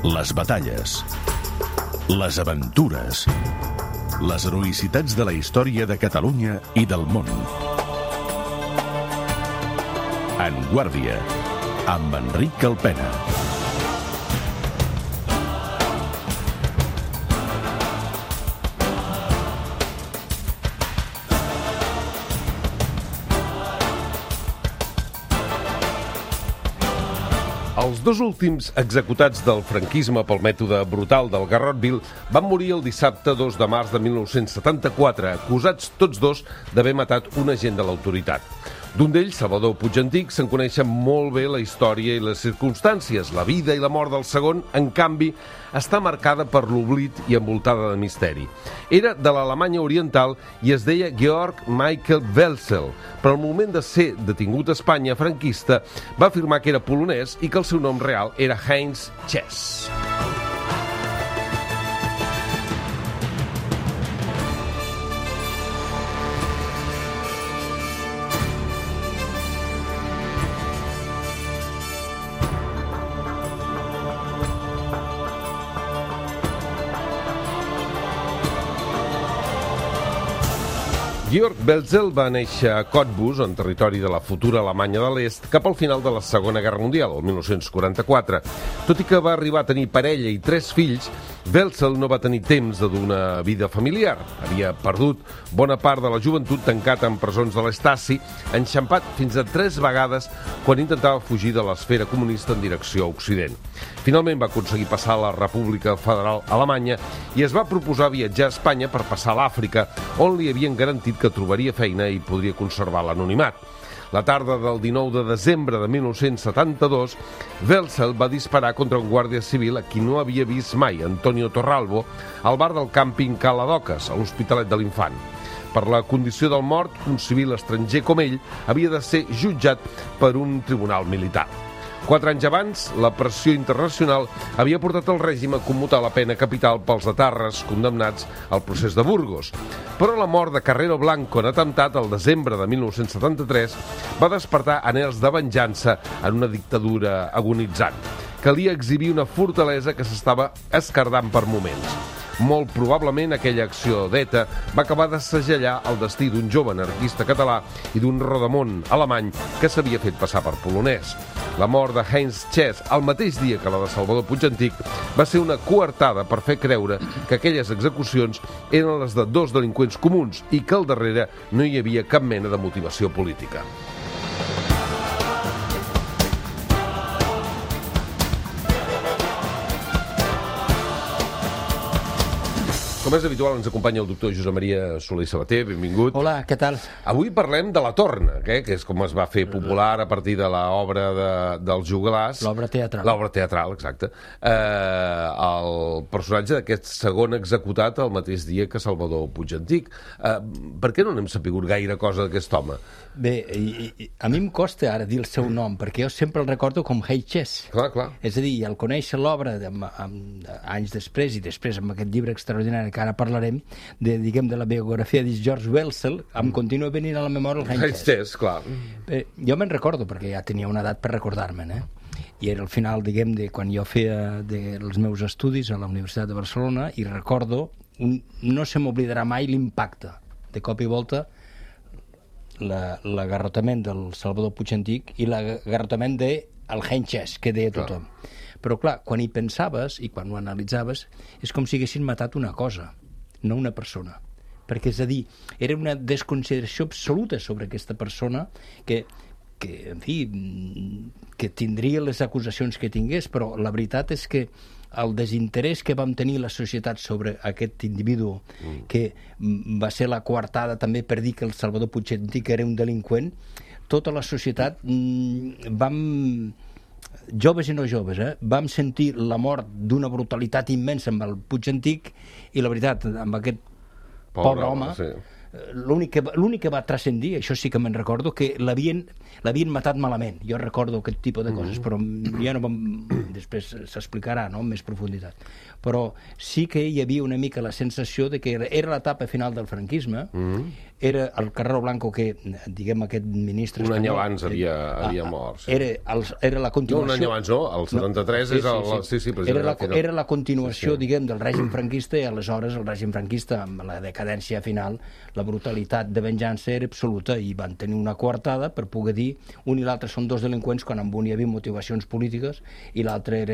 Les batalles, les aventures, les heroïcitats de la història de Catalunya i del món. En Guàrdia, amb Enric Calpena. Els dos últims executats del franquisme pel mètode brutal del Garrotville van morir el dissabte 2 de març de 1974, acusats tots dos d'haver matat un agent de l'autoritat. D'un d'ells, Salvador Puigantic, se'n coneixen molt bé la història i les circumstàncies. La vida i la mort del segon, en canvi, està marcada per l'oblit i envoltada de misteri. Era de l'Alemanya Oriental i es deia Georg Michael Welzel, però al moment de ser detingut a Espanya franquista va afirmar que era polonès i que el seu nom real era Heinz Chess. Georg Welzel va néixer a Cottbus, en territori de la futura Alemanya de l'Est, cap al final de la Segona Guerra Mundial, el 1944. Tot i que va arribar a tenir parella i 3 fills, Welzel no va tenir temps de dur una vida familiar. Havia perdut bona part de la joventut tancat en presons de l'Estasi, enxampat fins a 3 vegades quan intentava fugir de l'esfera comunista en direcció a Occident. Finalment va aconseguir passar a la República Federal Alemanya i es va proposar viatjar a Espanya per passar a l'Àfrica, on li havien garantit que trobaria feina i podria conservar l'anonimat. La tarda del 19 de desembre de 1972, Welzel va disparar contra un guàrdia civil a qui no havia vist mai, Antonio Torralbo, al bar del càmping Cala d'Oques, a l'Hospitalet de l'Infant. Per la condició del mort, un civil estranger com ell havia de ser jutjat per un tribunal militar. 4 anys abans, la pressió internacional havia portat el règim a commutar la pena capital pels etarres condemnats al procés de Burgos. Però la mort de Carrero Blanco en atemptat el desembre de 1973 va despertar anhels de venjança en una dictadura agonitzant. Calia exhibir una fortalesa que s'estava esquerdant per moments. Molt probablement aquella acció d'ETA va acabar de segellar el destí d'un jove anarquista català i d'un rodamón alemany que s'havia fet passar per polonès. La mort de Heinz Chess, el mateix dia que la de Salvador Puigantic, va ser una coartada per fer creure que aquelles execucions eren les de 2 delinqüents comuns i que al darrere no hi havia cap mena de motivació política. Com és habitual, ens acompanya el doctor Josep Maria Soler i Sabater. Benvingut. Hola, què tal? Avui parlem de La Torna, que és com es va fer popular a partir de l'obra dels Joglars. L'obra teatral. L'obra teatral, exacte. El personatge d'aquest segon executat el mateix dia que Salvador Puigantic. Per què no n'hem sapigut gaire cosa d'aquest home? Bé, a mi em costa ara dir el seu nom, perquè jo sempre el recordo com Heinz Chess. Clar. És a dir, al conèixer l'obra anys després, i després amb aquest llibre extraordinari que ara parlarem, de la biografia de Georg Welzel, em continua venint a la memòria el Heinz Chess. Clar. Jo me'n recordo, perquè ja tenia una edat per recordar-me'n, i era al final, de quan jo feia els meus estudis a la Universitat de Barcelona, i recordo, no se m'oblidarà mai l'impacte, de cop i volta, l'agarrotament del Salvador Puigantic i l'agarrotament del Heinz Chess, que deia tothom. Però clar, quan hi pensaves i quan ho analitzaves, és com si haguessin matat una cosa, no una persona. Perquè, és a dir, era una desconsideració absoluta sobre aquesta persona que en fi, que tindria les acusacions que tingués, però la veritat és que el desinterès que vam tenir la societat sobre aquest individu, que va ser la coartada també per dir que el Salvador Puigantic era un delinqüent, tota la societat joves i no joves, vam sentir la mort d'una brutalitat immensa amb el Puigantic, i la veritat, amb aquest pobre home, sí. L'únic que va transcendir, això sí que me'n recordo, que l'havien matat malament. Jo recordo aquest tipus de coses, però ja no després s'explicarà, no?, amb més profunditat. Però sí que hi havia una mica la sensació de que era l'etapa final del franquisme, era el Carrero Blanco que, diguem, aquest ministre un any espanyol, abans havia mort. Sí. Era la continuació... No, un any abans no, el 73 és el... Sí, era la continuació, diguem, del règim franquista, i aleshores el règim franquista, amb la decadència final, la brutalitat de venjança era absoluta, i van tenir una coartada per poder dir un i l'altre són dos delinqüents quan amb un hi havia motivacions polítiques i l'altre era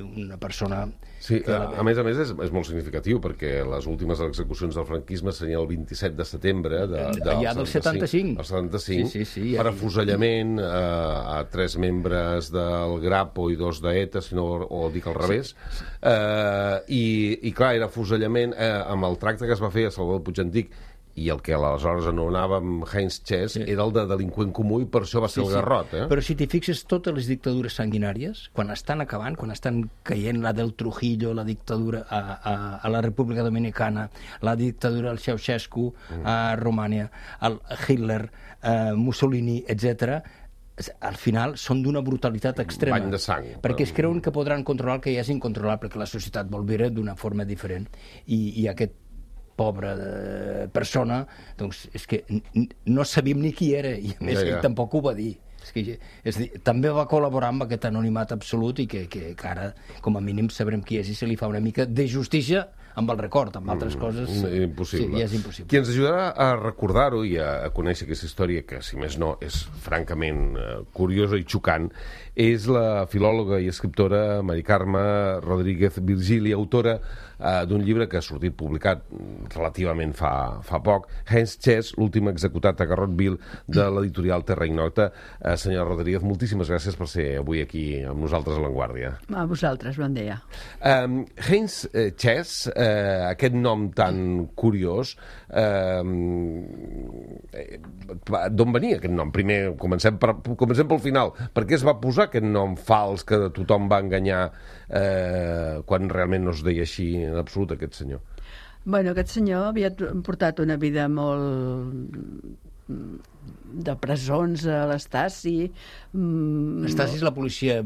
una persona... Sí, a més és molt significatiu, perquè les últimes execucions del franquisme serien el 27 de setembre ja del 75. El 75, sí, per afusellament a 3 membres del Grapo i 2 d'ETA, si no ho dic al revés. I clar, era afusellament amb el tracte que es va fer a Salvador Puig-Antich, i el que aleshores anomenàvem Heinz Chess era el de delinqüent comú, i per això va ser el garrot. Però si t'hi fixes, totes les dictadures sanguinàries, quan estan acabant, quan estan caient, la del Trujillo, la dictadura a la República Dominicana, la dictadura al Ceausescu a Romània, el Hitler, Mussolini, etc., al final són d'una brutalitat extrema. Bany de sang. Perquè es creuen que podran controlar el que ja és incontrolable, perquè la societat vol viure d'una forma diferent. I aquest pobra persona, doncs és que no sabíem ni qui era, i a més ell tampoc ho va dir. És dir, també va col·laborar amb aquest anonimat absolut, i que ara, com a mínim, sabrem qui és, i se li fa una mica de justícia amb el record, amb altres coses... Impossible. Sí, ja és impossible. Qui ens ajudarà a recordar-ho i a conèixer aquesta història, que, si més no, és francament curiosa i xocant, és la filòloga i escriptora Mari Carme Rodríguez Virgili, autora d'un llibre que ha sortit publicat relativament fa poc, Heinz Chess, l'últim executat a Garrotville, de l'editorial Terra Ignota. Senyora Rodríguez, moltíssimes gràcies per ser avui aquí amb nosaltres a l'Avantguàrdia. A vosaltres, bon dia. Heinz Chess, aquest nom tan curiós, d'on venia aquest nom? Primer, comencem pel final. Per què es va posar aquest nom fals que tothom va enganyar quan realment no es deia així en absolut, aquest senyor? Bueno, aquest senyor havia portat una vida molt de presons a l'Estasi. L'Estasi és la policia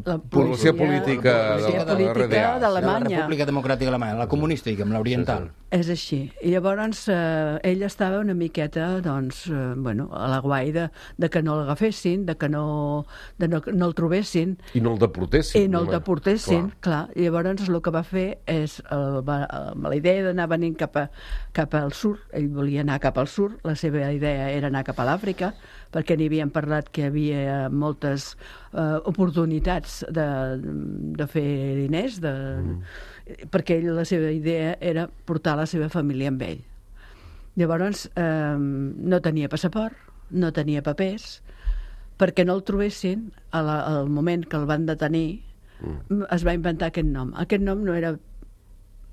política d'Alemanya. La República Democràtica Alemanya, la comunista, diguem, l'oriental. És així. I llavors ell estava una miqueta, doncs, a la guai de que no l'agafessin, de que no el trobessin. I no el deportessin. Clar. I llavors el que va fer és, amb la idea d'anar venint cap al sud, ell volia anar cap al sud, la seva idea era anar cap a l'Àfrica, perquè n'hi havien parlat que hi havia moltes oportunitats de fer diners, perquè ell, la seva idea era portar la seva família amb ell. Llavors no tenia passaport, no tenia papers, perquè no el trobessin. Al moment que el van detenir es va inventar aquest nom. Aquest nom no era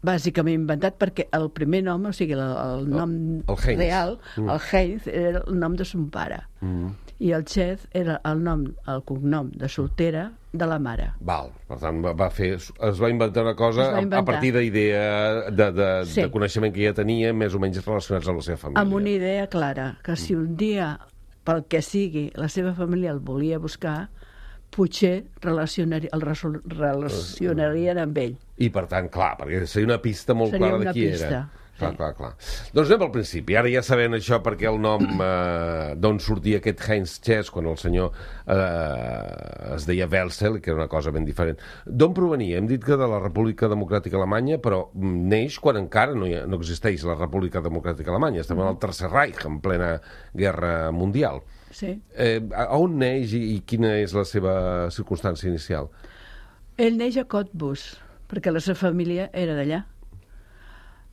bàsicament inventat, perquè el primer nom, o sigui, el nom real, el Heinz, era el nom de son pare. I el Chess era el cognom de soltera de la mare. Val, per tant, es va inventar una cosa a partir d'idea, de coneixement que ja tenia, més o menys relacionats amb la seva família. Amb una idea clara, que si un dia, pel que sigui, la seva família el volia buscar, potser el relacionarien amb ell. I per tant, clar, perquè seria una pista molt clara de qui era. Clar. Doncs anem al principi. Ara ja sabem això, perquè el nom d'on sortia aquest Heinz Chess, quan el senyor es deia Welzel, que era una cosa ben diferent. D'on provenia? Hem dit que de la República Democràtica Alemanya, però neix quan encara no existeix la República Democràtica Alemanya. Estem en el Tercer Reich, en plena Guerra Mundial. Sí. On neix i quina és la seva circumstància inicial? Ell neix a Cottbus, perquè la seva família era d'allà.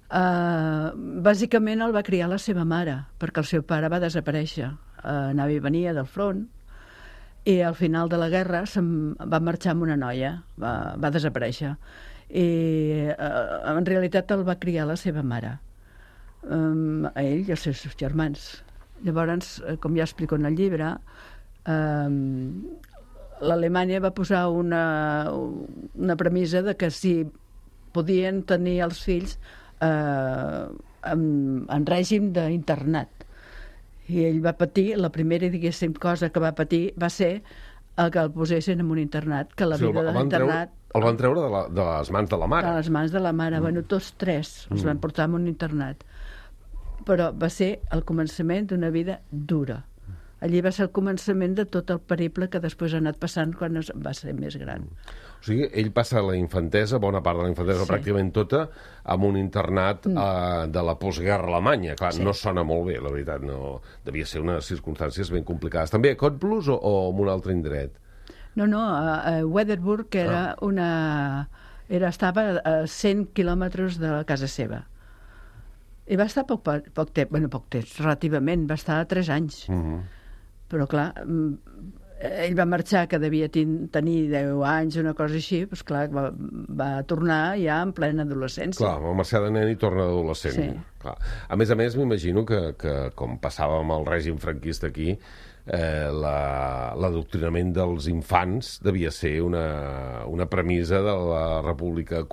Bàsicament el va criar la seva mare, perquè el seu pare va desaparèixer, anava i venia del front, i al final de la guerra va marxar amb una noia, va desaparèixer, i en realitat el va criar la seva mare, a ell i els seus germans. Llavors, com ja explico en el llibre, l'Alemanya va posar una premissa de que si podien tenir els fills en règim d'internat. I ell va patir, la primera, diguéssim, cosa que va patir va ser que el posessin en un internat, que la vida de l'internat... El van treure de les mans de la mare. De les mans de la mare. Bueno, tots tres els van portar en un internat. però va ser el començament d'una vida dura. Allí va ser el començament de tot el periple que després ha anat passant quan va ser més gran. O sigui, ell passa la infantesa, bona part de la infantesa, pràcticament tota, amb un internat de la postguerra alemanya. Clar, no sona molt bé, la veritat. No, devia ser unes circumstàncies ben complicades. També a Cottbus o en un altre indret? No, a Wedderburg, que estava a 100 quilòmetres de la casa seva. I va estar poc temps, relativament, va estar 3 anys. Però, clar, ell va marxar, que devia tenir 10 anys, una cosa així, doncs, clar, va tornar ja en plena adolescència. Clar, va marxar de nen i torna d'adolescent. Sí. Clar. A més, m'imagino que com passava amb el règim franquista aquí, l'adoctrinament dels infants devia ser una premissa de la República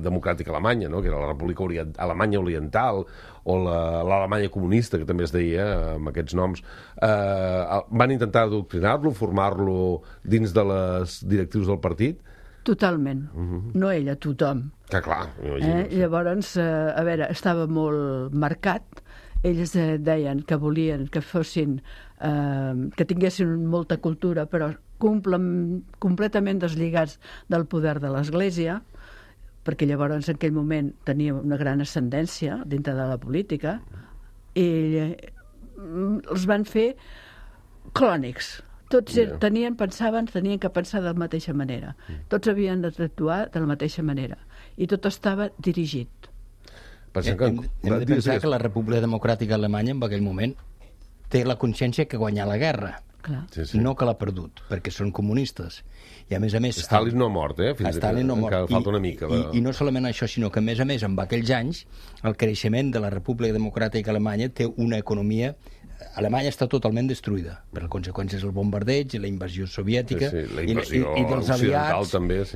Democràtica Alemanya, no? Que era la República Alemanya Oriental o l'Alemanya comunista, que també es deia amb aquests noms. Van intentar adoctrinar-lo, formar-lo dins de les directrius del partit? Totalment. No ella, tothom. Que clar, m'imagino. Llavors, a veure, estava molt marcat. Ells deien que volien que fossin, que tinguessin molta cultura, però completament deslligats del poder de l'Església, perquè llavors en aquell moment tenia una gran ascendència dintre de la política, i els van fer clònics. Tots tenien que pensar de la mateixa manera. Tots havien d'actuar de la mateixa manera. I tot estava dirigit. Hem de pensar que la República Democràtica Alemanya en aquell moment té la consciència que guanyar la guerra. No que l'ha perdut, perquè són comunistes. I a més... Stalin no ha mort, Stalin no ha mort. Encara falta una mica. I no solament això, sinó que a més, en aquells anys, el creixement de la República Democràtica Alemanya té una economia... Alemanya està totalment destruïda per les conseqüències del bombardeig, la invasió soviètica la invasió i dels aliats, també,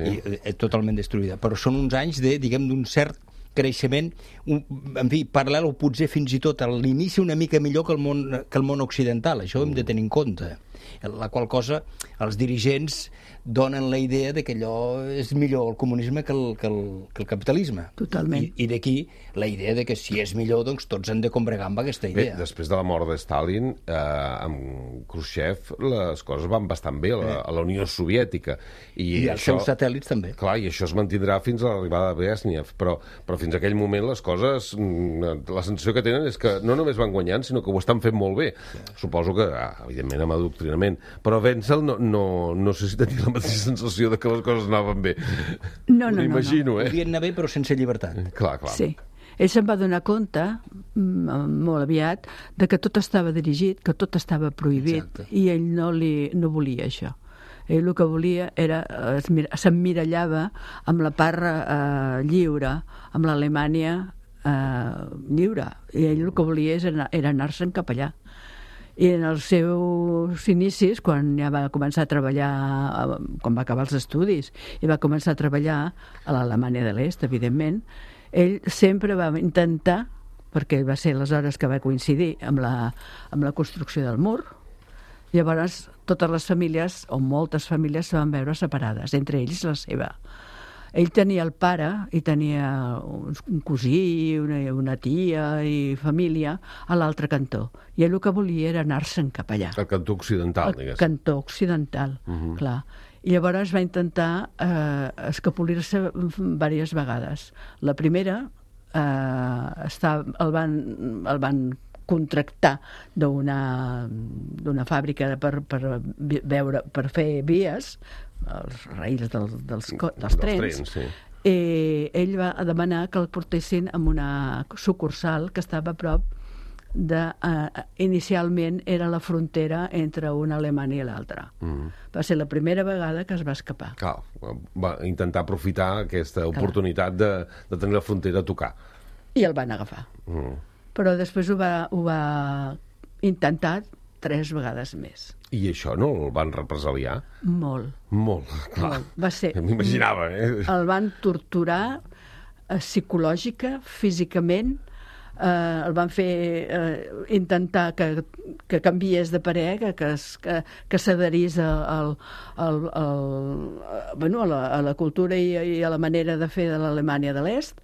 totalment destruïda. Però són uns anys d'un cert creixement, en fi, paral·lel o potser fins i tot a l'inici una mica millor que el món occidental. Això ho hem de tenir en compte. La qual cosa, els dirigents donen la idea de que allò és millor el comunisme que el capitalisme. Totalment. I d'aquí la idea de que si és millor, doncs tots han de combregar amb aquesta idea. Després de la mort de Stalin, amb Khrushchev, les coses van bastant bé a la Unió Soviètica. I els seus satèl·lits també. Clar, i això es mantindrà fins a l'arribada de Brezhnev, però fins a aquell moment les coses, la sensació que tenen és que no només van guanyant, sinó que ho estan fent molt bé. Suposo que, evidentment, amb adoctrinament. Però Wenzel no sé si tenia la mateixa sensació de que les coses anaven bé. No. M'imagino, Podien anar bé, però sense llibertat. Clar. Sí. Ell se'n va donar compte, molt aviat, de que tot estava dirigit, que tot estava prohibit. Exacte. I ell no volia això. Ell el que volia era, s'emmirallava amb la part lliure, amb l'Alemanya lliure. I ell el que volia era anar-se'n cap allà. I en els seus inicis, quan ja va començar a treballar, quan va acabar els estudis, i va començar a treballar a l'Alemanya de l'Est, evidentment, ell sempre va intentar, perquè va ser les hores que va coincidir amb la construcció del mur, llavors totes les famílies, o moltes famílies, se van veure separades, entre ells la seva. Ell tenia el pare i tenia un cosí, una tia i família a l'altre cantó. I ell el que volia era anar-se'n cap allà. El cantó occidental, diguéssim. El cantó occidental, clar. I llavors va intentar escapolir-se diverses vegades. La primera, el van contractar d'una fàbrica per fer vies, els raïls dels trens, sí. I ell va demanar que el portessin a una sucursal que estava a prop inicialment era la frontera entre una Alemanya i l'altra. Va ser la primera vegada que es va escapar. Clar, va intentar aprofitar aquesta oportunitat de tenir la frontera a tocar. I el van agafar. Però després ho va intentar 3 vegades més. I això no el van represaliar? Molt, clar. Va ser... M'imaginava, El van torturar psicològica, físicament, el van fer intentar que canviés de parer, que s'adherís a la cultura i a la manera de fer de l'Alemanya de l'Est.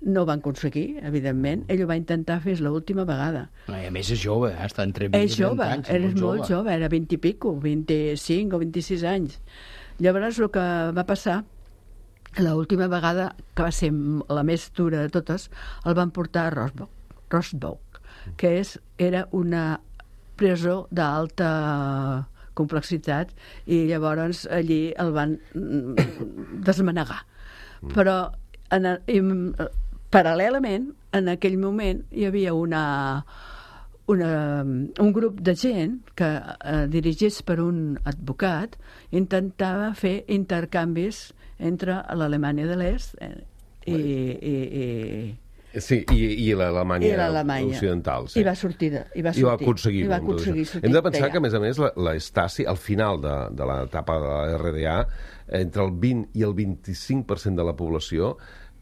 No ho van aconseguir, evidentment. Ell ho va intentar fer l'última vegada. I a més és jove, està entre 20 És jove, i 30 anys. és molt jove, era 20 i pico, 25 o 26 anys. Llavors el que va passar, l'última vegada, que va ser la més dura de totes, el van portar a Rosbach, que era una presó d'alta complexitat, i llavors allí el van desmanegar. Però paral·lelament, en aquell moment, hi havia un grup de gent que, dirigits per un advocat, intentava fer intercanvis entre l'Alemanya de l'Est i l'Alemanya occidental. Sí. I va aconseguir sortir. Hem de pensar que, a més, la Stasi, al final de l'etapa de la RDA, entre el 20 i el 25% de la població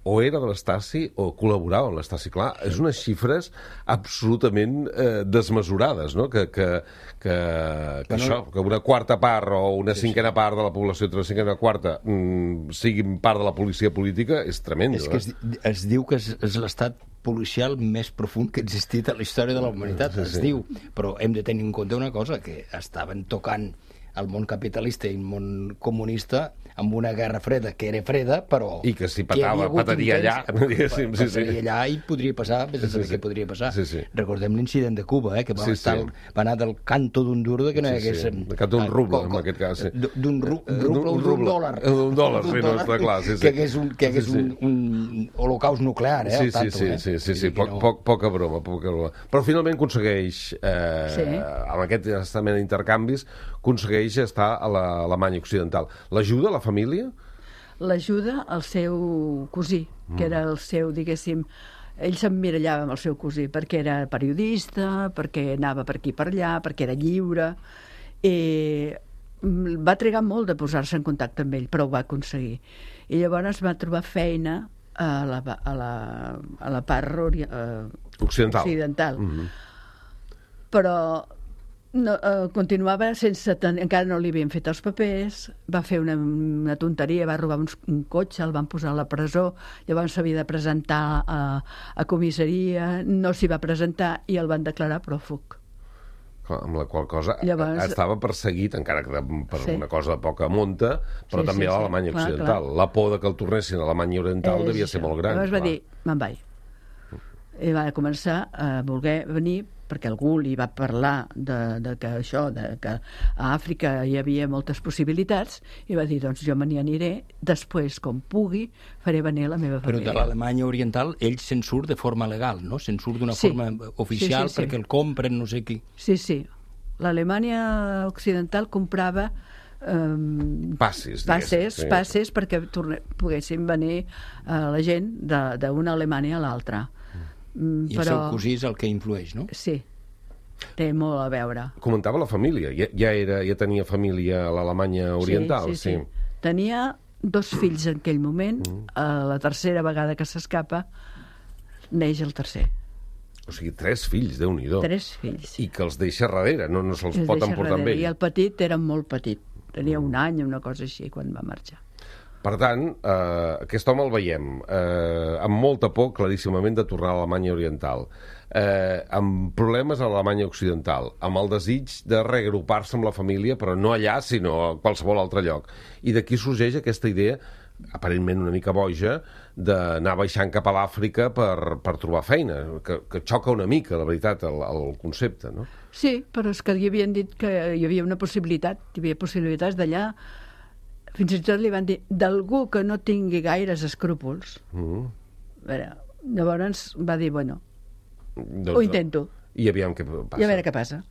o era de l'Stasi o col·laborava amb l'Stasi. Clar, és unes xifres absolutament desmesurades, no? Que una quarta part o una cinquena part de la població, una cinquena quarta, siguin part de la policia política, és tremendo. És que es diu que és l'estat policial més profund que ha existit a la història de la humanitat, es diu. Però hem de tenir en compte una cosa, que estaven tocant el món capitalista i el món comunista amb una guerra freda, que era freda, però... I que si petaria allà. Petaria allà i podria passar, vés a saber què podria passar. Recordem l'incident de Cuba, que va anar del canto d'un duro que no hi hagués... Del canto d'un ruble, en aquest cas. D'un ruble o d'un dòlar. D'un dòlar, sí, no està clar. Que hagués un holocaust nuclear, Sí, poca broma. Però finalment aconsegueix, amb aquest estament d'intercanvis, aconsegueix estar a l'Alemanya occidental. L'ajuda a la família? L'ajuda al seu cosí, que era el seu, diguéssim, ell s'emmirallava amb el seu cosí, perquè era periodista, perquè anava per aquí per allà, perquè era lliure, i va trigar molt de posar-se en contacte amb ell, però ho va aconseguir. I llavors va trobar feina a la part occidental. Però continuava sense encara no li havien fet els papers, va fer una tonteria, va robar un cotxe, el van posar a la presó, llavors s'havia de presentar a comissaria, no s'hi va presentar i el van declarar pròfug. Amb la qual cosa estava perseguit, encara que per una cosa de poca monta, però també a l'Alemanya occidental. La por que el tornessin a l'Alemanya oriental devia ser molt gran. Llavors va dir, me'n vaig. I va començar a voler venir, perquè algú li va parlar que a Àfrica hi havia moltes possibilitats, i va dir, doncs jo me n'hi aniré, després, com pugui, faré venir la meva família. Però de l'Alemanya oriental, ell se'n surt de forma legal, no? Se'n surt d'una forma oficial perquè el compren no sé qui. Sí. L'Alemanya occidental comprava passes perquè poguessin venir la gent d'una Alemanya a l'altra. I el seu cosí és el que influeix, no? Sí, té molt a veure. Comentava la família, ja tenia família a l'Alemanya oriental. Sí. Tenia 2 fills en aquell moment, la tercera vegada que s'escapa neix el tercer. O sigui, 3 fills, Déu-n'hi-do. 3 fills. I que els deixa darrere, no se'ls pot emportar amb ell. I el petit era molt petit, tenia un any, una cosa així, quan va marxar. Per tant, aquest home el veiem amb molta por, claríssimament, de tornar a l'Alemanya oriental, amb problemes a l'Alemanya occidental, amb el desig de reagrupar-se amb la família, però no allà, sinó a qualsevol altre lloc. I d'aquí sorgeix aquesta idea, aparentment una mica boja, d'anar baixant cap a l'Àfrica per trobar feina, que xoca una mica, la veritat, el concepte, no? Sí, però és que li havien dit que hi havia una possibilitat, hi havia possibilitats d'allà. Fins i tot li van dir d'algú que no tingui gaires escrúpols. Llavors va dir, bueno, ho intento. I aviam què passa. I a veure què passa.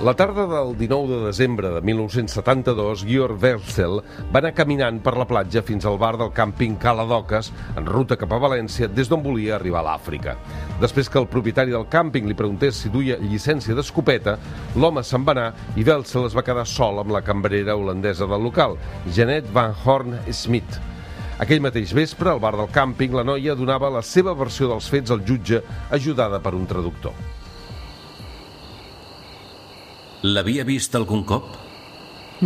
La tarda del 19 de desembre de 1972, Georg Welzel va anar caminant per la platja fins al bar del càmping Cala d'Oques, en ruta cap a València, des d'on volia arribar a l'Àfrica. Després que el propietari del càmping li preguntés si duia llicència d'escopeta, l'home se'n va anar i Welzel es va quedar sol amb la cambrera holandesa del local, Jeanette van Horn Smit. Aquell mateix vespre, al bar del càmping, la noia donava la seva versió dels fets al jutge, ajudada per un traductor. L'havia vist algun cop?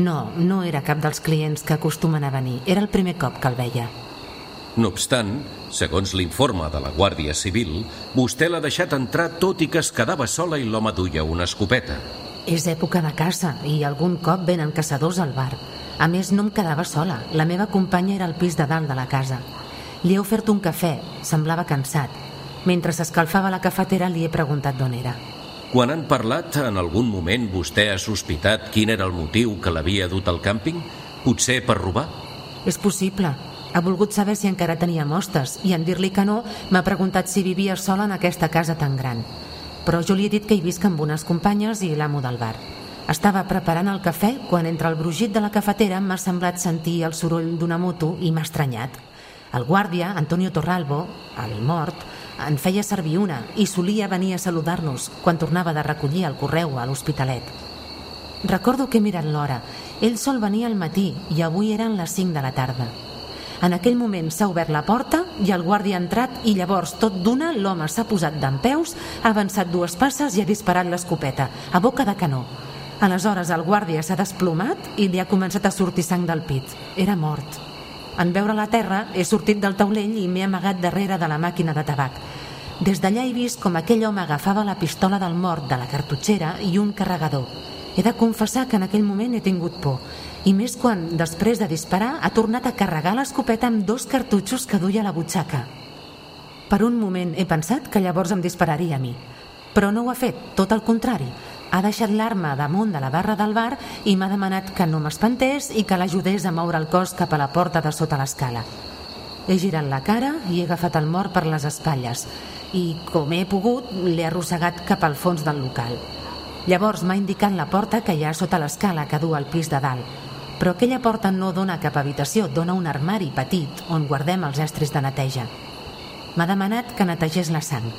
No, no era cap dels clients que acostumen a venir. Era el primer cop que el veia. No obstant, segons l'informe de la Guàrdia Civil, vostè l'ha deixat entrar tot i que es quedava sola i l'home duia una escopeta. És època de caça i algun cop venen caçadors al bar. A més, no em quedava sola. La meva companya era al pis de dalt de la casa. Li he ofert un cafè. Semblava cansat. Mentre s'escalfava la cafetera li he preguntat d'on era. Quan han parlat, en algun moment vostè ha sospitat quin era el motiu que l'havia dut al càmping? Potser per robar? És possible. Ha volgut saber si encara tenia mostes i en dir-li que no m'ha preguntat si vivia sola en aquesta casa tan gran. Però jo li he dit que hi visc amb unes companyes i l'amo del bar. Estava preparant el cafè quan entre el brugit de la cafetera m'ha semblat sentir el soroll d'una moto i m'ha estranyat. El guàrdia, Antonio Torralbo, el mort, en feia servir una i solia venir a saludar-nos quan tornava de recollir el correu a l'Hospitalet. Recordo que he mirat l'hora. Ell sol venir al matí i avui eren les 5 de la tarda. En aquell moment s'ha obert la porta i el guàrdia ha entrat i llavors tot d'una l'home s'ha posat dempeus, ha avançat 2 passes i ha disparat l'escopeta, a boca de canó. Aleshores el guàrdia s'ha desplomat i li ha començat a sortir sang del pit. Era mort. En veure la terra he sortit del taulell i m'he amagat darrere de la màquina de tabac. Des d'allà he vist com aquell home agafava la pistola del mort de la cartutxera i un carregador. He de confessar que en aquell moment he tingut por. I més quan, després de disparar, ha tornat a carregar l'escopeta amb 2 cartutxos que duia a la butxaca. Per un moment he pensat que llavors em dispararia a mi. Però no ho ha fet, tot el contrari. Ha deixat l'arma damunt de la barra del bar i m'ha demanat que no m'espantés i que l'ajudés a moure el cos cap a la porta de sota l'escala. He girat la cara i he agafat el mort per les espatlles i, com he pogut, l'he arrossegat cap al fons del local. Llavors m'ha indicat la porta que hi ha sota l'escala que du al pis de dalt. Però aquella porta no dona cap habitació, dona un armari petit on guardem els estris de neteja. M'ha demanat que netegés la sang.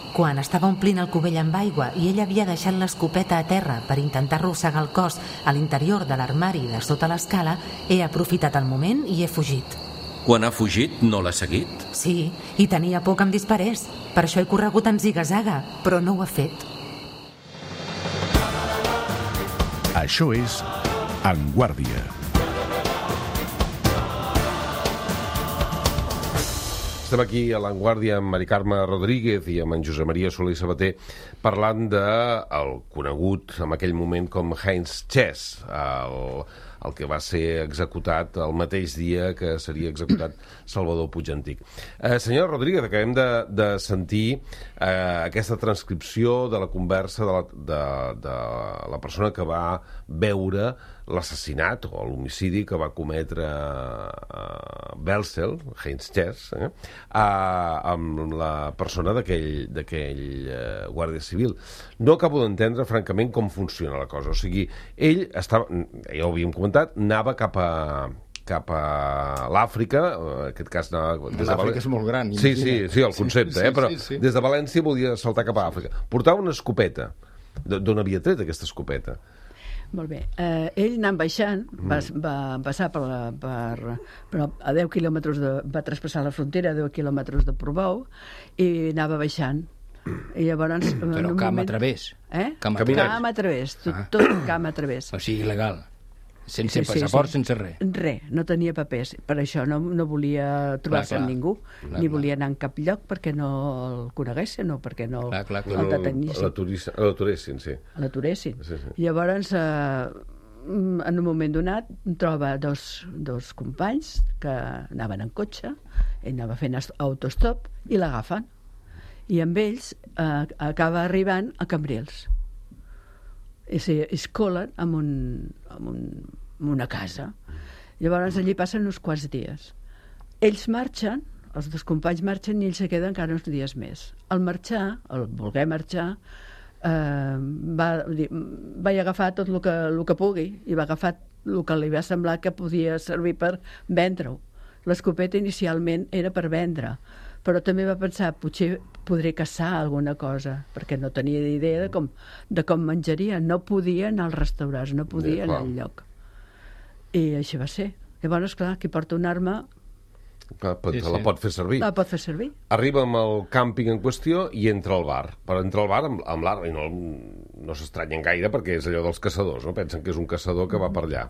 Quan estava omplint el cubell amb aigua i ell havia deixat l'escopeta a terra per intentar arrossegar el cos a l'interior de l'armari de sota l'escala, he aprofitat el moment i he fugit. Quan ha fugit, no l'ha seguit? Sí, i tenia por que em disparés. Per això he corregut en ziga-zaga, però no ho ha fet. Això és En Guàrdia. Estem aquí a l'Avantguàrdia amb Mari Carme Rodríguez i amb en Josep Maria Soler i Sabater parlant del conegut en aquell moment com Heinz Chess, el que va ser executat el mateix dia que seria executat Salvador Puig Antich. Senyora Rodríguez, acabem de sentir aquesta transcripció de la conversa de la persona que va veure l'assassinat o l'homicidi que va cometre Welzel, Heinz Chess, amb la persona d'aquell guàrdia civil. No acabo d'entendre, francament, com funciona la cosa. O sigui, ell estava, ja ho havíem comentat, anava cap a l'Àfrica, en aquest cas anava... L'Àfrica és molt gran. Sí, el concepte, però des de València volia saltar cap a Àfrica. Portava una escopeta. D'on havia tret aquesta escopeta? Molt bé. Ell anant baixant, va passar però a 10 quilòmetres va traspassar la frontera a 10 quilòmetres de Portbou i anava baixant. I llavors... Però camp a través. Camp a través, tot camp a través. O sigui, il·legal. Sense passaport, sense res. Res, no tenia papers. Per això no volia trobar-se amb ningú, ni volia anar en cap lloc perquè no el coneguessin, no perquè no el detenissin. L'aturessin, sí. L'aturessin. Llavors, en un moment donat, troba dos companys que anaven en cotxe, ell anava fent autostop, i l'agafen. I amb ells acaba arribant a Cambrils. I es colen en una casa. Llavors allí passen uns quants dies. Ells marxen, els 2 companys marxen i ells se queden encara uns dies més. Al marxar, al voler marxar, va agafar tot el que pugui i va agafar el que li va semblar que podia servir per vendre-ho. L'escopeta inicialment era per vendre, però també va pensar, potser podré caçar alguna cosa, perquè no tenia idea de com menjaria. No podia anar als restaurants, no podia anar al lloc. I així va ser. Llavors, clar, qui porta una arma La pot fer servir. La pot fer servir. Arriba amb el càmping en qüestió i entra al bar. Però entra al bar amb l'arma i no s'estranyen gaire perquè és allò dels caçadors, no? Pensen que és un caçador que va per allà.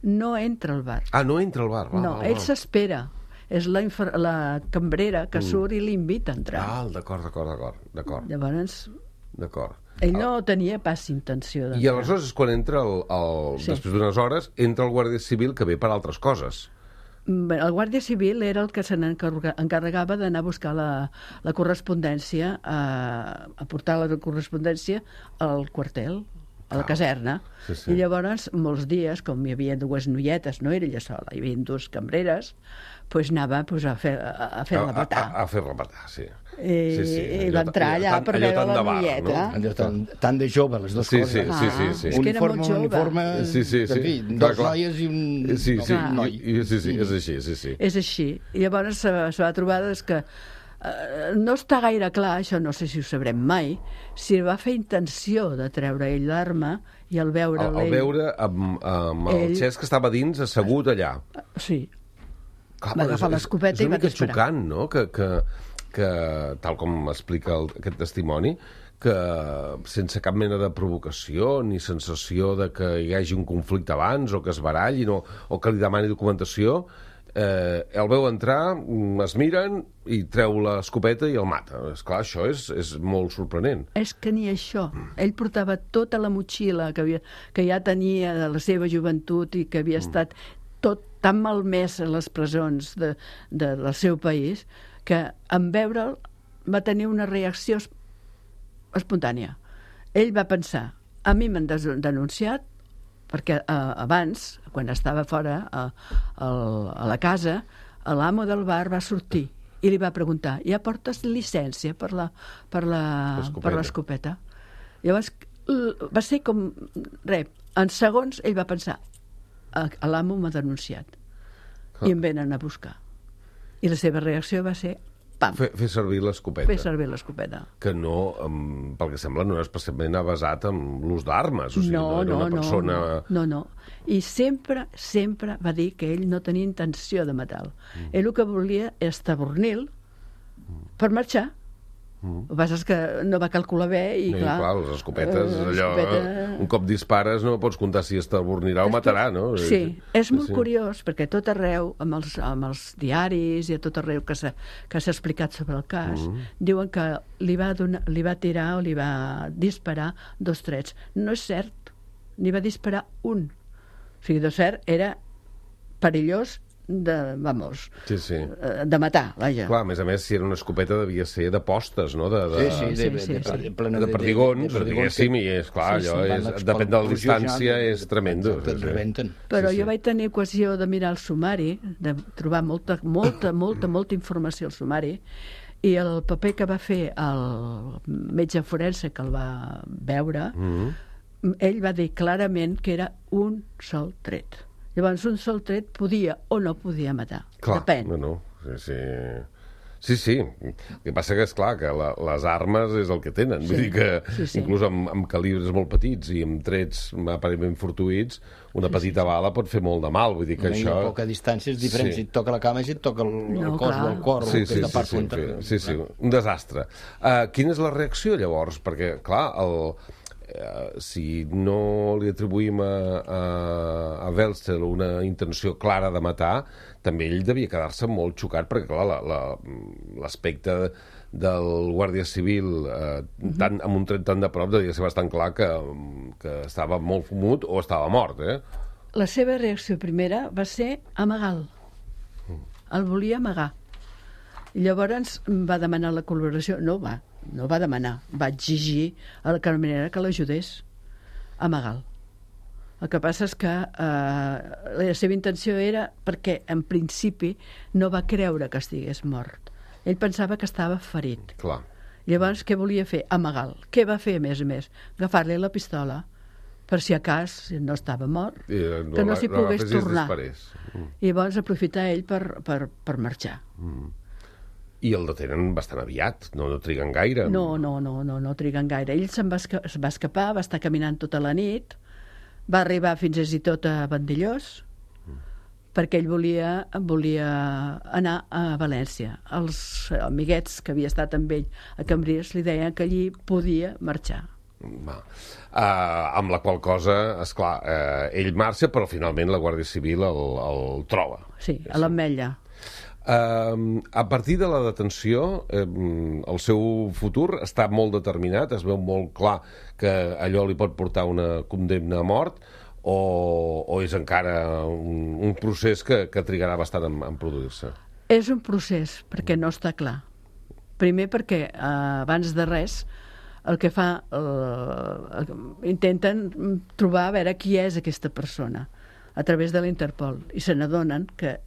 No entra al bar. Ah, no entra al bar. Ell s'espera. És la cambrera que surt i l'invita a entrar. D'acord. Llavors, D'acord. ell no tenia pas intenció d'entrar. I aleshores és quan entra, després d'unes hores, entra el Guàrdia Civil que ve per altres coses. El Guàrdia Civil era el que se n'encarregava d'anar a buscar la correspondència, a portar la correspondència al quartel, a la caserna. Sí. I llavors, molts dies, com hi havia dues noietes, no era ella sola, hi havia dues cambreres, doncs anava a fer-la matar. A fer-la matar, sí. I va entrar allà per veure la noieta. Tan de jove, les dues coses. Sí. És que era molt jove. Uniforme, dos noies i un... Sí, noi. És així, sí. És així. I llavors se va trobar que no està gaire clar, això no sé si ho sabrem mai, si va fer intenció de treure ell l'arma i al veure Al veure amb el Xesc que estava dins, assegut allà. Sí. Va agafar l'escopeta i va disparar. És una mica xocant, no?, que tal com explica aquest testimoni, que sense cap mena de provocació ni sensació de que hi hagi un conflicte abans o que es barallin o que li demani documentació, el veu entrar, es miren i treu l'escopeta i el mata. Esclar, això és molt sorprenent. És que ni això. Ell portava tota la motxilla que ja tenia de la seva joventut i que havia estat tot tan malmès a les presons del seu país, que en veure'l va tenir una reacció espontània. Ell va pensar, a mi m'han denunciat, perquè abans, quan estava fora a la casa, l'amo del bar va sortir i li va preguntar, ja portes llicència per l'escopeta? Llavors va ser com en segons ell va pensar, l'amo m'ha denunciat i em venen a buscar. I la seva reacció va ser pam. Fer servir l'escopeta. Fer servir l'escopeta. Que no, pel que sembla, no és especialment avasat amb l'ús d'armes. O sigui, no era una persona... No. I sempre va dir que ell no tenia intenció de matar-lo. Ell el que volia és tabornir-lo per marxar. El que passa és que no va calcular bé i clar... les escopetes, un cop dispares no pots comptar si es tabornirà o matarà, no? Sí, és molt curiós perquè tot arreu, amb els diaris i a tot arreu que s'ha explicat sobre el cas, diuen que li va tirar o li va disparar 2 trets. No és cert, n'hi va disparar un. O sigui, de cert, era perillós de matar, vaja. Clar, a més, si era una escopeta devia ser de postes, no? De perdigons, diguéssim, i és clar, depèn de la distància, és tremendo. Però jo vaig tenir ocasió de mirar el sumari, de trobar molta informació al sumari, i el paper que va fer el metge forense que el va veure, ell va dir clarament que era un sol tret. Llavors, un sol tret podia o no podia matar. Clar, depèn. Sí. El que passa que és clar que les armes és el que tenen. Vull dir que inclús amb calibres molt petits i amb trets aparentment fortuïts, una petita bala pot fer molt de mal. Vull dir que això... A poca distància és diferent. Si et toca la cama, si et toca el cos o el cor, aquesta part contra... Sí, un desastre. Quina és la reacció, llavors? Perquè, clar, si no li atribuïm a Welzel una intenció clara de matar, també ell devia quedar-se molt xocat, perquè clar, l'aspecte del Guàrdia Civil amb un tret tan de prop devia ser bastant clar que estava molt fumut o estava mort, La seva reacció primera va ser amaga'l. El volia amagar. Llavors va demanar la col·laboració. No va demanar, va exigir a la caraminera que l'ajudés a amagar-lo. El que passa és que la seva intenció era perquè en principi no va creure que estigués mort. Ell pensava que estava ferit. Clar. Llavors què volia fer? Amagar-lo. Què va fer a més? Agafar-li la pistola per si a cas no estava mort, que no s'hi pogués tornar. I llavors aprofitar ell per marxar. I el detenen bastant aviat, no triguen gaire. No triguen gaire. Ell se'n va escapar, va estar caminant tota la nit, va arribar fins i tot a Vandellós, perquè ell volia anar a València. Els amiguets que havia estat amb ell a Cambrils li deien que allí podia marxar. Amb la qual cosa, esclar, ell marxa, però finalment la Guàrdia Civil el troba. Sí, a l'Ametlla. A partir de la detenció, el seu futur està molt determinat, es veu molt clar que allò li pot portar una condemna a mort, o és encara un procés que trigarà bastant en produir-se? És un procés, perquè no està clar. Primer perquè, abans de res, el que fa, intenten trobar a veure qui és aquesta persona a través de l'Interpol, i se n'adonen que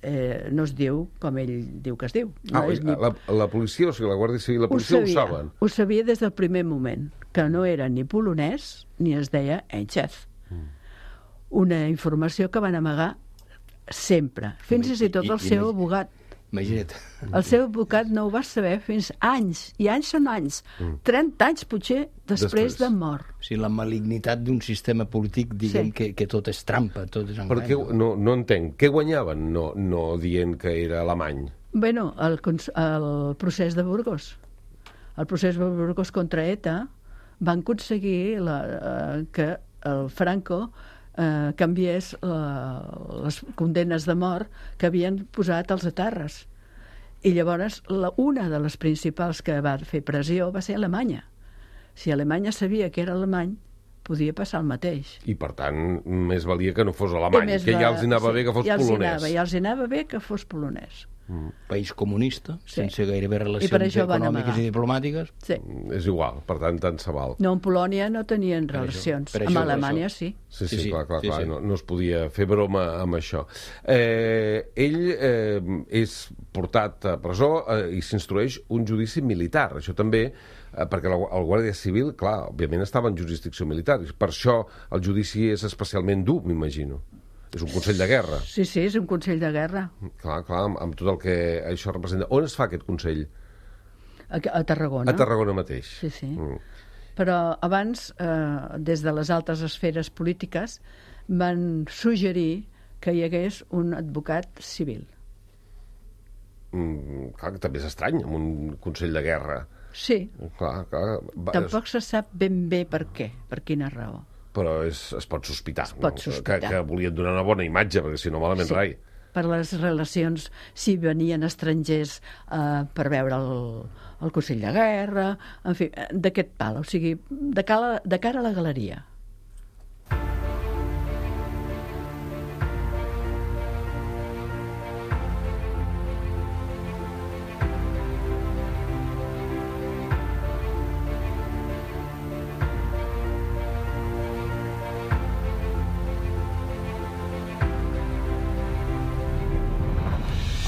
no es diu com ell diu que es diu. La policia, o sigui, la Guàrdia Civil, la policia ho saben? Ho sabia des del primer moment, que no era ni polonès ni es deia Enchef. Una informació que van amagar sempre, fins i tot el seu abogat. Imagina't. El seu advocat no ho va saber fins anys, i anys són anys, 30 anys potser després de mort. O sigui, la malignitat d'un sistema polític, diguem, que tot és trampa, tot és engany. Perquè no entenc, què guanyaven no dient que era alemany? Bueno, el procés de Burgos. El procés de Burgos contra ETA van aconseguir que el Franco canviés les condemnes de mort que havien posat els etarres. I llavors una de les principals que va fer pressió va ser Alemanya. Si Alemanya sabia que era alemany, podia passar el mateix. I per tant, més valia que no fos alemany, que ja els anava bé que fos polonès. Ja els anava bé que fos polonès. País comunista, sense gairebé relacions econòmiques i diplomàtiques. Sí. És igual, per tant, tant se val. No, en Polònia no tenien relacions. Amb Alemanya sí. Sí, clar. No es podia fer broma amb això. Ell és portat a presó i s'instrueix un judici militar. Això també, perquè el Guàrdia Civil, clar, òbviament estava en jurisdicció militar. Per això el judici és especialment dur, m'imagino. És un consell de guerra. Sí, és un consell de guerra. Clar, amb tot el que això representa. On es fa aquest consell? A Tarragona. A Tarragona mateix. Sí. Però abans, des de les altres esferes polítiques, van suggerir que hi hagués un advocat civil. Clar, que també és estrany, amb un consell de guerra. Sí. Clar. Tampoc se sap ben bé per què, per quina raó. Però es pot sospitar, que volien donar una bona imatge, perquè si no, malament rai. Per les relacions, si venien estrangers per veure el Consell de Guerra, en fi, d'aquest pal, o sigui, de cara a la galeria.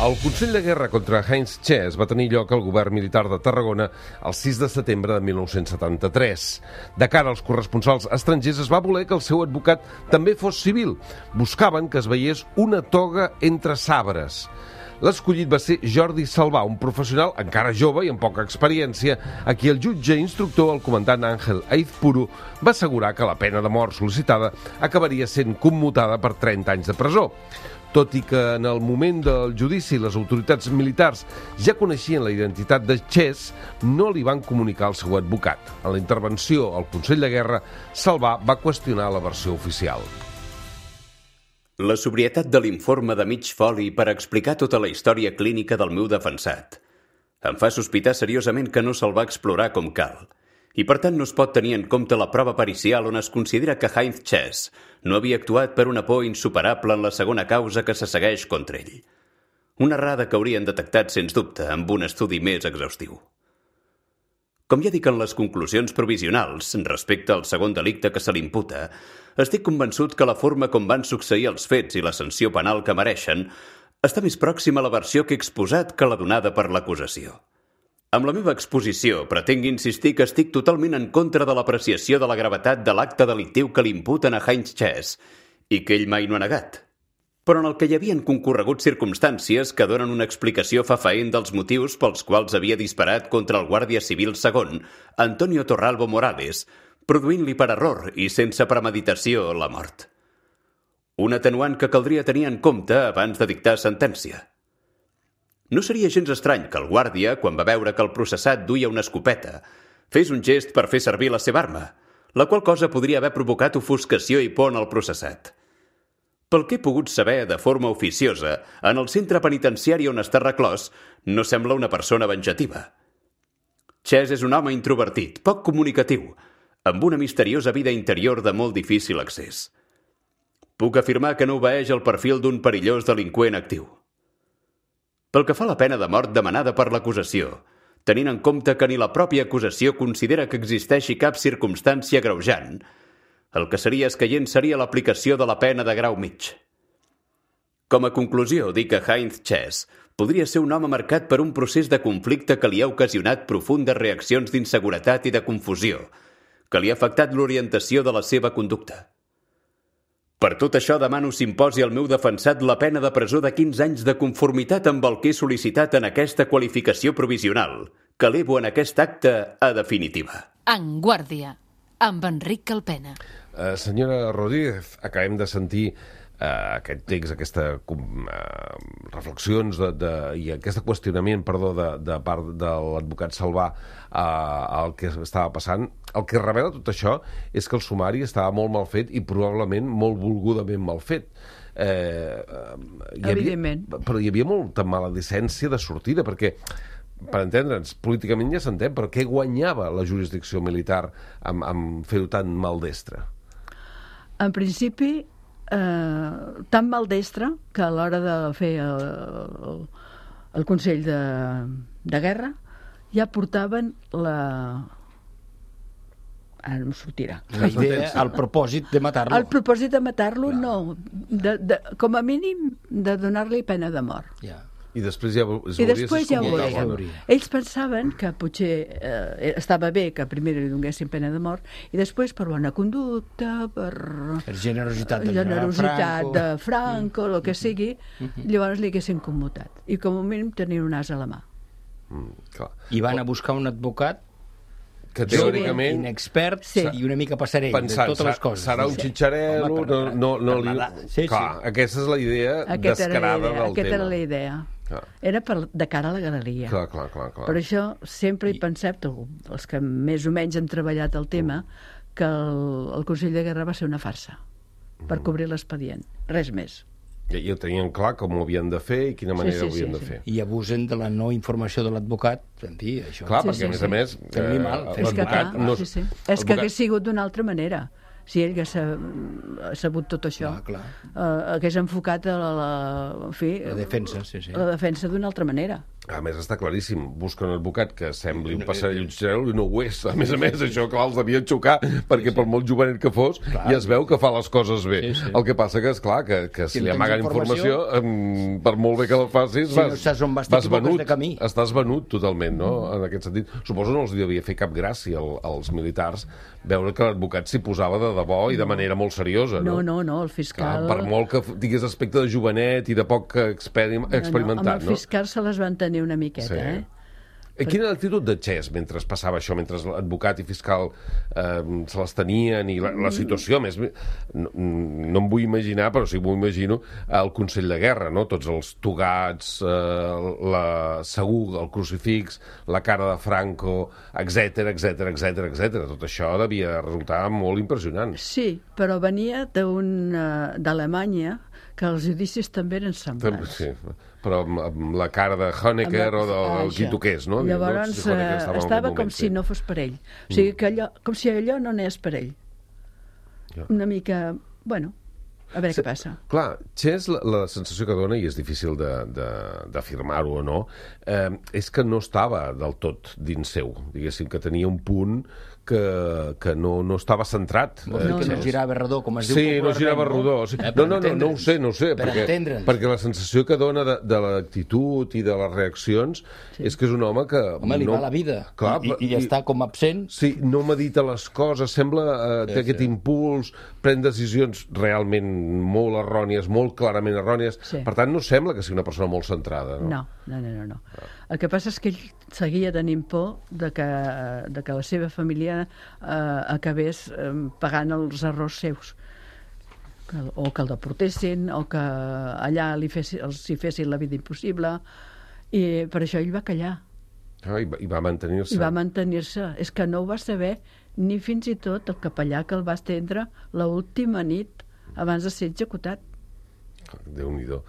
El Consell de Guerra contra Heinz Chess va tenir lloc al govern militar de Tarragona el 6 de setembre de 1973. De cara als corresponsals estrangers es va voler que el seu advocat també fos civil. Buscaven que es veiés una toga entre sabres. L'escollit va ser Jordi Salvà, un professional encara jove i amb poca experiència, a qui el jutge instructor, el comandant Àngel Aizpuru, va assegurar que la pena de mort sol·licitada acabaria sent commutada per 30 anys de presó. Tot i que en el moment del judici les autoritats militars ja coneixien la identitat de Chess, no li van comunicar al seu advocat. En la intervenció al Consell de Guerra, Salvà va qüestionar la versió oficial. La sobrietat de l'informe de mig foli per explicar tota la història clínica del meu defensat em fa sospitar seriosament que no se'l va explorar com cal. I per tant no es pot tenir en compte la prova pericial on es considera que Heinz Chess no havia actuat per una por insuperable en la segona causa que se segueix contra ell. Una errada que haurien detectat, sens dubte, amb un estudi més exhaustiu. Com ja dic en les conclusions provisionals respecte al segon delicte que se l'imputa, estic convençut que la forma com van succeir els fets i la sanció penal que mereixen està més pròxima a la versió que he exposat que la donada per l'acusació. Amb la meva exposició pretenc insistir que estic totalment en contra de l'apreciació de la gravetat de l'acte delictiu que li imputen a Heinz Chess i que ell mai no ha negat, però en el que hi havien concorregut circumstàncies que donen una explicació fefaent dels motius pels quals havia disparat contra el guàrdia civil segon, Antonio Torralbo Morales, produint-li per error i sense premeditació la mort. un atenuant que caldria tenir en compte abans de dictar sentència. No seria gens estrany que el guàrdia, quan va veure que el processat duia una escopeta, fes un gest per fer servir la seva arma, la qual cosa podria haver provocat ofuscació i por en el processat. Pel que he pogut saber de forma oficiosa, en el centre penitenciari on està reclòs, no sembla una persona venjativa. Chess és un home introvertit, poc comunicatiu, amb una misteriosa vida interior de molt difícil accés. Puc afirmar que no obeeix el perfil d'un perillós delinqüent actiu. Pel que fa a la pena de mort demanada per l'acusació, tenint en compte que ni la pròpia acusació considera que existeixi cap circumstància agreujant, el que seria escaient seria l'aplicació de la pena de grau mig. Com a conclusió, dic que Heinz Chess podria ser un home marcat per un procés de conflicte que li ha ocasionat profundes reaccions d'inseguretat i de confusió, que li ha afectat l'orientació de la seva conducta. Per tot això demano s'imposi al meu defensat la pena de presó de 15 anys de conformitat amb el que he sol·licitat en aquesta qualificació provisional, que elevo en aquest acte a definitiva. En guàrdia, amb Enric Calpena. Senyora Rodríguez, acabem de sentir aquest text, aquestes reflexions i aquest qüestionament, de part de l'advocat Salvà al que estava passant. El que revela tot això és que el sumari estava molt mal fet i probablement molt volgudament mal fet. Evidentment. Però hi havia molta maledicència de sortida, perquè, per entendre'ns, políticament ja s'entén, però què guanyava la jurisdicció militar amb fer-ho tan maldestre? En principi, tan maldestre que a l'hora de fer el Consell de Guerra ja portaven ara no em sortirà. La idea, el propòsit de matar-lo. El propòsit de matar-lo, no. Com a mínim, de donar-li pena de mort. Ja. I després ja ho veurien. Ells pensaven que potser estava bé que primer li donessin pena de mort i després per bona conducta, per generositat de Franco, el que sigui, llavors li haguessin commutat. I com a mínim tenir un as a la mà. I van a buscar un advocat que teòricament inexpert i una mica passarell de totes les coses. Serà un xitxarel·lo, aquesta és la idea descarada del tema. Aquesta era la idea. Era de cara a la galeria. Clar. Per això sempre hi pensem, els que més o menys hem treballat el tema, que el Consell de Guerra va ser una farsa per cobrir l'expedient, res més. I ho tenien clar com ho havien de fer i quina manera ho havien de fer. I abusen de la no informació de l'advocat, en fi, això. Clar, perquè a més l'advocat és que hagués sigut d'una altra manera. Si ell hagués sabut tot això, hagués enfocat la defensa, la defensa d'una altra manera. A més, està claríssim. Busca un advocat que sembli un passarell i no ho és. A més, això, clar, els devien xocar, perquè per molt jovenet que fos, ja es veu que fa les coses bé. El que passa que, esclar, que si li amaguen informació, per molt bé que la facis, vas venut. Estàs venut totalment, no?, en aquest sentit. Suposo no els devia fer cap gràcia als militars veure que l'advocat s'hi posava de debò i de manera molt seriosa, no? No, el fiscal... Per molt que tingués aspecte de jovenet i de poc experimentat, no? Amb el fiscal se les van tenir una miqueta, Quina era l'actitud de Chess mentre passava això, mentre l'advocat i fiscal se les tenien i la situació, a més, no em vull imaginar, però sí m'ho imagino, el Consell de Guerra, no? Tots els togats, segur, el crucifix, la cara de Franco, etcètera. Tot això devia resultar molt impressionant. Sí, però venia d'Alemanya, que els judicis també eren semblants. Sí, però amb la cara de Honecker o del qui toqués, no? Llavors estava com si no fos per ell. O sigui, com si allò no anés per ell. Una mica... Bueno, a veure què passa. Clar, Chess, la sensació que dona, i és difícil d'afirmar-ho o no, és que no estava del tot dins seu. Diguéssim que tenia un punt que no estava centrat. Vols dir que no girava rodó, com es diu popularment? Sí, no girava rodó. No ho sé, perquè la sensació que dona de l'actitud i de les reaccions és que és un home que... Home, li va la vida, i està com absent. Sí, no medita les coses, sembla que aquest impuls pren decisions realment molt errònies, molt clarament errònies. Per tant, no sembla que sigui una persona molt centrada. No. El que passa és que ell seguia tenint por de que la seva família acabés pagant els errors seus. o que el deportessin, o que allà els hi fessin la vida impossible, i per això ell va callar. I va mantenir-se. I va mantenir-se. És que no ho va saber ni fins i tot el capellà que el va estendre l'última nit abans de ser executat. Déu-n'hi-do.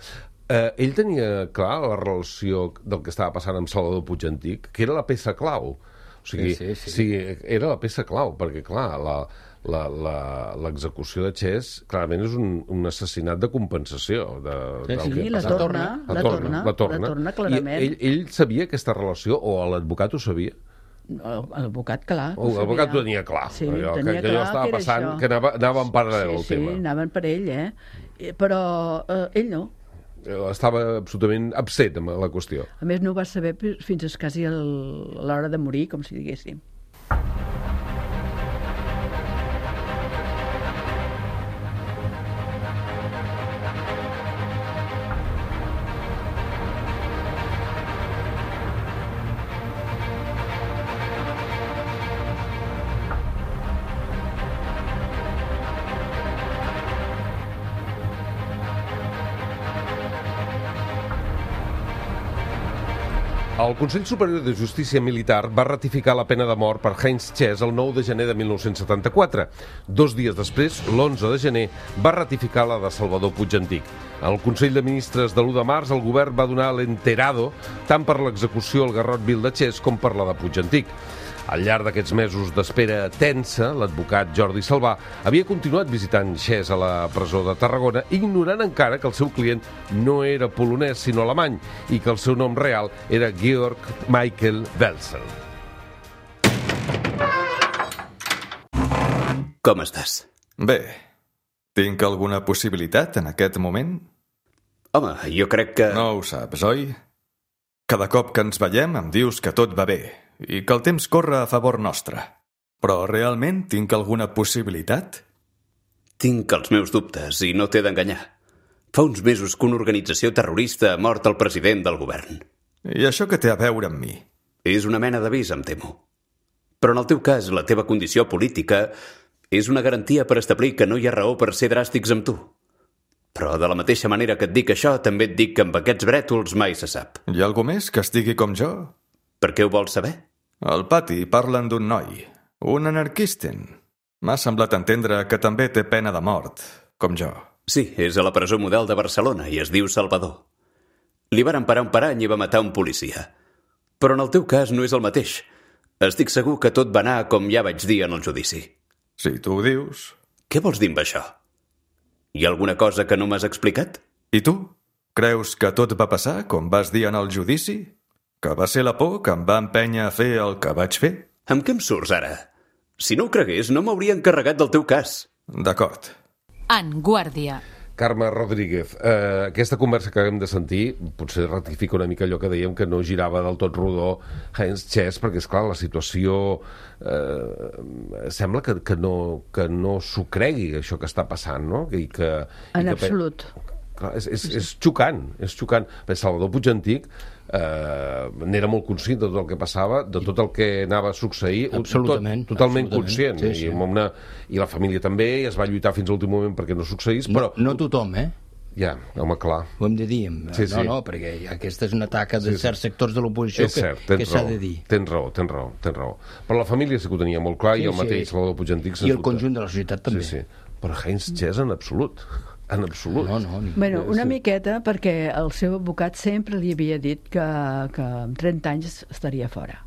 Ell tenia clar la relació del que estava passant amb Salvador Puigantic, que era la peça clau. O sigui, sí, era la peça clau, perquè, clar, l'execució de Chess clarament és un assassinat de compensació. Sí, la torna, clarament. I ell sabia aquesta relació, o l'advocat ho sabia? L'advocat, clar. L'advocat ho tenia clar. Sí, tenia clar que allò estava passant, que anava en paral·lel el tema. Sí, anaven per ell, però ell no. Estava absolutament absent amb la qüestió. A més, no ho va saber fins quasi a l'hora de morir, com si diguéssim. El Consell Superior de Justícia Militar va ratificar la pena de mort per Heinz Chess el 9 de gener de 1974. 2 dies després, l'11 de gener, va ratificar la de Salvador Puigantic. Al Consell de Ministres de l'1 de març, el govern va donar l'enterado tant per l'execució al garrot vil de Chess com per la de Puigantic. Al llarg d'aquests mesos d'espera tensa, l'advocat Jordi Salvà havia continuat visitant Chess a la presó de Tarragona, ignorant encara que el seu client no era polonès sinó alemany i que el seu nom real era Georg Michael Welzel. Com estàs? Bé. Tinc alguna possibilitat en aquest moment? Home, jo crec que... No ho saps, oi? Cada cop que ens veiem em dius que tot va bé i que el temps corre a favor nostre. Però realment tinc alguna possibilitat? Tinc els meus dubtes i no t'he d'enganyar. Fa uns mesos que una organització terrorista ha mort el president del govern. I això què té a veure amb mi? És una mena d'avís, em temo. Però en el teu cas, la teva condició política és una garantia per establir que no hi ha raó per ser dràstics amb tu. Però de la mateixa manera que et dic això, també et dic que amb aquests brètols mai se sap. Hi ha algú més que estigui com jo? Per què ho vols saber? Al pati parlen d'un noi, un anarquisten. M'ha semblat entendre que també té pena de mort, com jo. Sí, és a la presó model de Barcelona i es diu Salvador. Li varen parar un parany i va matar un policia. Però en el teu cas no és el mateix. Estic segur que tot va anar com ja vaig dir en el judici. Si tu ho dius... Què vols dir amb això? Hi ha alguna cosa que no m'has explicat? I tu? Creus que tot va passar com vas dir en el judici? Que va ser la por que em va empènyer a fer el que vaig fer? Amb què em surts ara? Si no ho cregués, no m'hauria encarregat del teu cas. D'acord. En Guàrdia. Carme Rodríguez, aquesta conversa que acabem de sentir potser ratifica una mica allò que dèiem que no girava del tot rodó Heinz Chess, perquè, esclar, la situació sembla que no s'ho cregui, això que està passant, no? En absolut. Clar, és xocant, és xocant. Salvador Puigantic n'era molt conscient de tot el que passava, de tot el que anava a succeir, totalment conscient. Sí. I la família també, i es va lluitar fins a l'últim moment perquè no succeís, però... No tothom, Ja, home, clar. Ho hem de dir. No, perquè aquesta és una taca de certs sectors de l'oposició que s'ha de dir. Tens raó. Però la família sí que ho tenia molt clar, i el mateix Salvador Puigantic... I el conjunt de la societat també. Sí. Però Heinz Chess en absolut. En absolut. Bueno, una miqueta, perquè el seu advocat sempre li havia dit que en 30 anys estaria fora.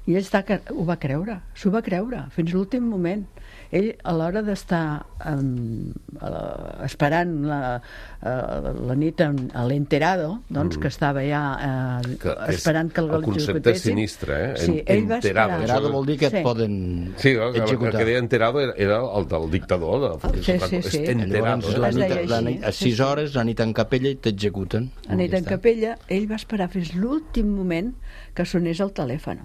I ell ho va creure, s'ho va creure, fins l'últim moment. Ell, a l'hora d'estar esperant la nit a l'enterado, doncs, que estava ja esperant que el concepte és sinistre, Sí, ell va esperar. Enterado vol dir que et poden executar. El que deia enterado era el del dictador. Sí. Enterado. A 6 hores, la nit en capella i t'executen. A nit en capella, ell va esperar fins l'últim moment que sonés el telèfon.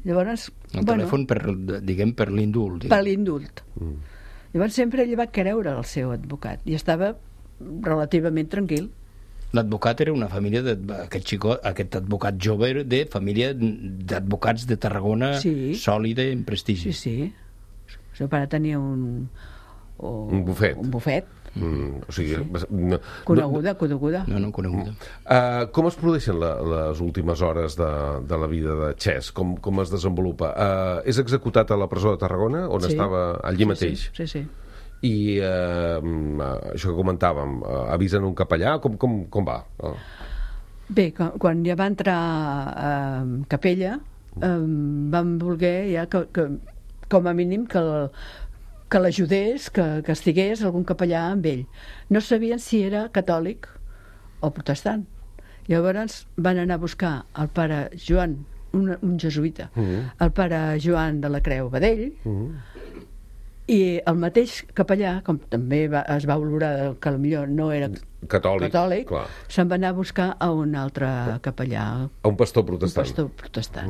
Llavors, el telèfon per l'indult. Per l'indult. Llavors sempre ell va creure el seu advocat i estava relativament tranquil. L'advocat era una família aquest advocat jove era de família d'advocats de Tarragona sòlida i en prestigi. Sí. El seu pare tenia un Un bufet. Un bufet. O sigui, Coneguda. No, coneguda. Com es produeixen les últimes hores de la vida de Chess? Com es desenvolupa? És executat a la presó de Tarragona, on estava allí mateix? Sí. I això que comentàvem, avisen un capellà? Com va? Bé, quan ja va entrar a Capella, vam voler ja que com a mínim que l'ajudés, que estigués algun capellà amb ell. No sabien si era catòlic o protestant. Llavors van anar a buscar el pare Joan, un jesuïta, el pare Joan de la Creu Badell, i el mateix capellà, com també es va valorar que potser no era catòlic, se'n va anar a buscar a un altre capellà. A un pastor protestant.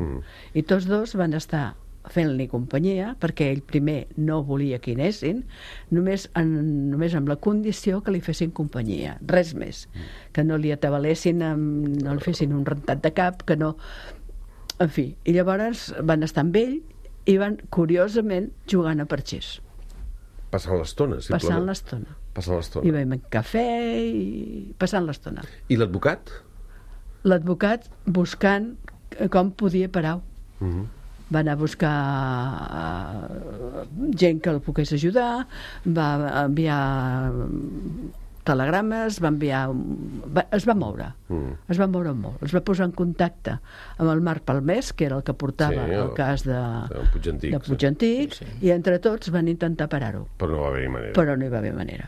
I tots dos van estar fent-li companyia, perquè ell primer no volia que hi anessin, només amb la condició que li fessin companyia, res més, que no li atabalessin, no li fessin un rentat de cap, que no... En fi, i llavors van estar amb ell i van, curiosament, jugant a parxís. Passant l'estona, simplement. Passant l'estona. I vam cafè i passant l'estona. I l'advocat? L'advocat buscant com podia parar. Va anar a buscar gent que el pogués ajudar, va enviar telegrames, es va moure molt, es va posar en contacte amb el Marc Palmés, que era el que portava el cas de Puig Antic, i entre tots van intentar parar-ho, però no hi va haver manera.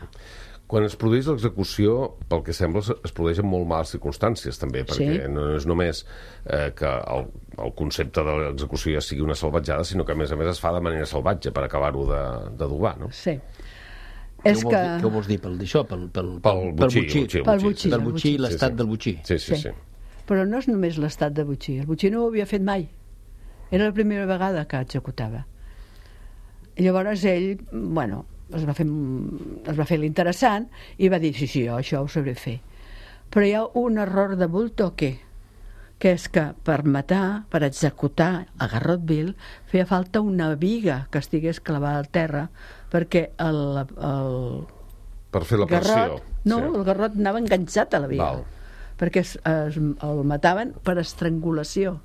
Quan es produeix l'execució, pel que sembla, es produeix en molt males circumstàncies, també, perquè no és només que el concepte de l'execució ja sigui una salvatjada, sinó que, a més es fa de manera salvatge per acabar-ho d'adobar, no? Sí. Què ho vols dir per això? Pel botxí, l'estat del botxí. Sí. Però no és només l'estat de botxí. El botxí no ho havia fet mai. Era la primera vegada que executava. I llavors ell, es va fer l'interessant i va dir, sí, això ho sabré fer. Però hi ha un error de bultoque, que és que per matar, per executar a Garrotville, feia falta una viga que estigués clavada al terra, perquè per fer la pressió. El garrot anava enganxat a la viga, perquè el mataven per estrangulació.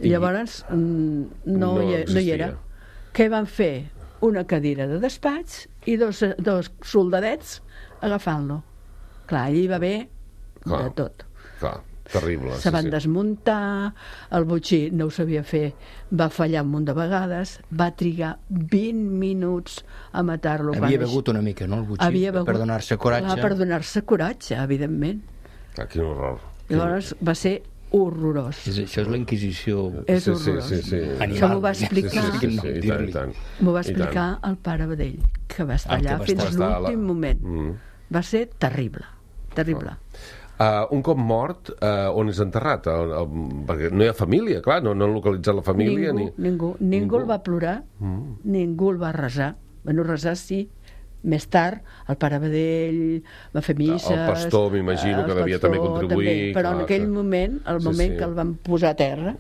Llavors no hi era. Què van fer? Una cadira de despatx i dos soldadets agafant-lo. Clar, allí va haver de tot. Clar, terrible. Se van desmuntar, el botxí no ho sabia fer, va fallar un munt de vegades, va trigar 20 minuts a matar-lo. Havia begut una mica, no, el botxí, per donar-se coratge. Per donar-se coratge, evidentment. Quin horror. Llavors va ser horrorós. Això és la Inquisició. És horrorós. Això m'ho va explicar m'ho va explicar el pare Badell, que va estar allà fins l'últim moment. Va ser terrible. Un cop mort, on és enterrat? Perquè no hi ha família, clar, no han localitzat la família. Ningú el va plorar, ningú el va resar. Resar sí, més tard el pare Badell va fer misses, el pastor m'imagino que devia també contribuir, però en aquell moment, que el van posar a terra,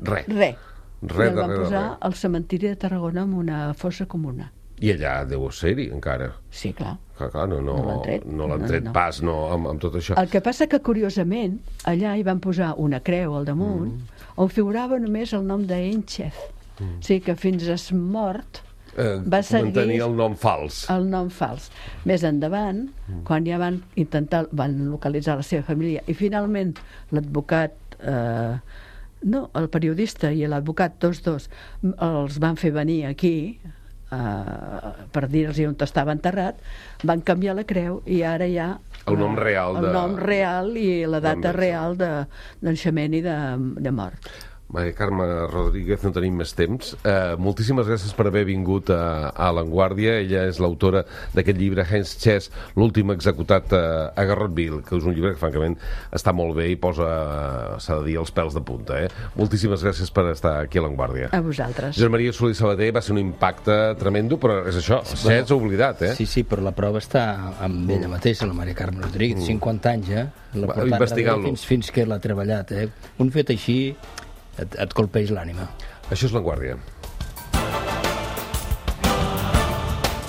res, el van posar al cementiri de Tarragona amb una fossa comuna. I allà deu ser-hi encara. Sí, clar. No l'han tret pas amb tot això. El que passa que, curiosament, allà hi van posar una creu al damunt on figurava només el nom d'Enchef. O sigui que fins a mort va seguir el nom fals. Més endavant, quan ja van localitzar la seva família i finalment l'advocat, el periodista i l'advocat, tots dos, els van fer venir aquí per dir-los on estava enterrat, van canviar la creu i ara hi ha el nom real i la data real de naixement i de mort. Maria Carme Rodríguez, no tenim més temps. Moltíssimes gràcies per haver vingut a L'Avantguàrdia. Ella és l'autora d'aquest llibre, Heinz Chess, l'últim executat a Garrotville, que és un llibre que, francament, està molt bé i posa, s'ha de dir, els pèls de punta. Moltíssimes gràcies per estar aquí a L'Avantguàrdia. A vosaltres. Josep Maria Solí Sabater, va ser un impacte tremendo, però és això, Chess oblidat, Sí, però la prova està amb ella mateixa, la Maria Carme Rodríguez, 50 anys, la portant fins que l'ha treballat. Un fet així et colpeix l'ànima. Això és L'Avantguàrdia.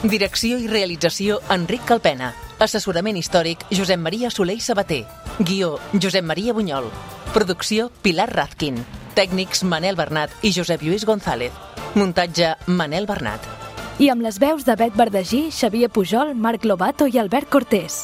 Direcció i realització Enric Calpena. Assessorament històric Josep Maria Soler i Sabater. Guió Josep Maria Bunyol. Producció Pilar Razkin. Tècnics Manel Bernat i Josep Lluís González. Muntatge Manel Bernat. I amb les veus de Bet Verdagí, Xavier Pujol, Marc Lobato i Albert Cortés.